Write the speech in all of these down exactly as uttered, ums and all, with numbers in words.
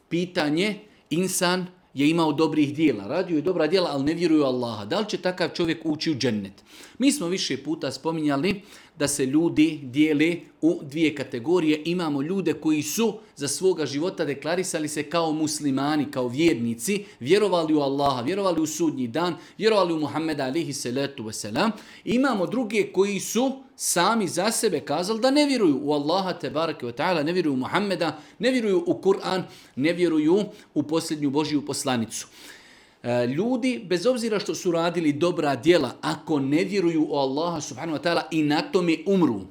pitanje, insan je imao dobrih dijela, radio je dobra dijela, ali ne vjeruje u Allaha. Da li će takav čovjek ući u džennet? Mi smo više puta spominjali da se ljudi dijele u dvije kategorije. Imamo ljude koji su za svoga života deklarisali se kao muslimani, kao vjernici, vjerovali u Allaha, vjerovali u sudnji dan, vjerovali u Muhammeda alihi salatu wasalam. Imamo druge koji su sami za sebe kazali da ne vjeruju u Allaha tebareke ve ta'ala, ne vjeruju u Muhammeda, ne vjeruju u Kur'an, ne vjeruju u posljednju Božju poslanicu. Ljudi, bez obzira što su radili dobra djela, ako ne vjeruju u Allaha subhanahu wa ta'ala i na tome umru,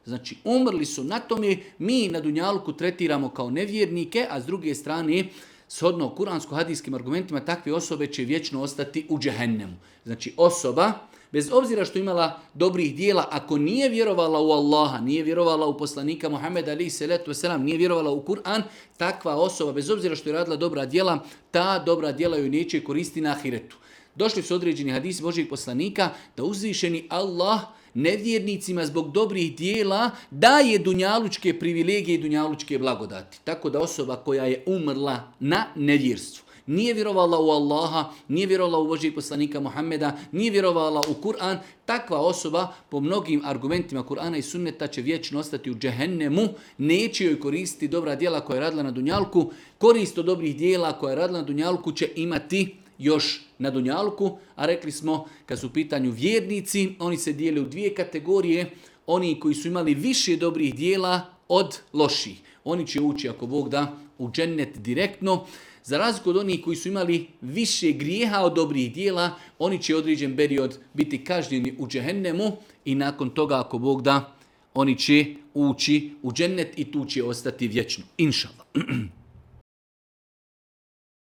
znači umrli su na tome, mi na dunjalku tretiramo kao nevjernike, a s druge strane, shodno kuransko-hadijskim argumentima, takve osobe će vječno ostati u džehennemu. Znači osoba, bez obzira što imala dobrih dijela, ako nije vjerovala u Allaha, nije vjerovala u poslanika Muhammeda alejhi salatu vesselam, nije vjerovala u Kur'an, takva osoba, bez obzira što je radila dobra djela, ta dobra djela joj neće koristiti na ahiretu. Došli su određeni hadisi Božjeg poslanika da uzvišeni Allah nevjernicima zbog dobrih dijela daje dunjalučke privilegije i dunjalučke blagodati. Tako da osoba koja je umrla na nevjerstvu, nije vjerovala u Allaha, nije vjerovala u Božjeg poslanika Muhammeda, nije vjerovala u Kur'an, takva osoba po mnogim argumentima Kur'ana i sunneta će vječno ostati u džehennemu, neće joj koristiti dobra djela koja je radila na dunjalku, korist od dobrih djela koja je radila na dunjalku će imati još na dunjalku, a rekli smo kad su u pitanju vjernici, oni se dijele u dvije kategorije, oni koji su imali više dobrih djela od loših. Oni će ući, ako Bog da, u džennet direktno. Za razliku od onih koji su imali više grijeha od dobrih dijela, oni će određen period biti kažnjeni u džehennemu i nakon toga, ako Bog da, oni će ući u džennet i tu će ostati vječno. Inšallah.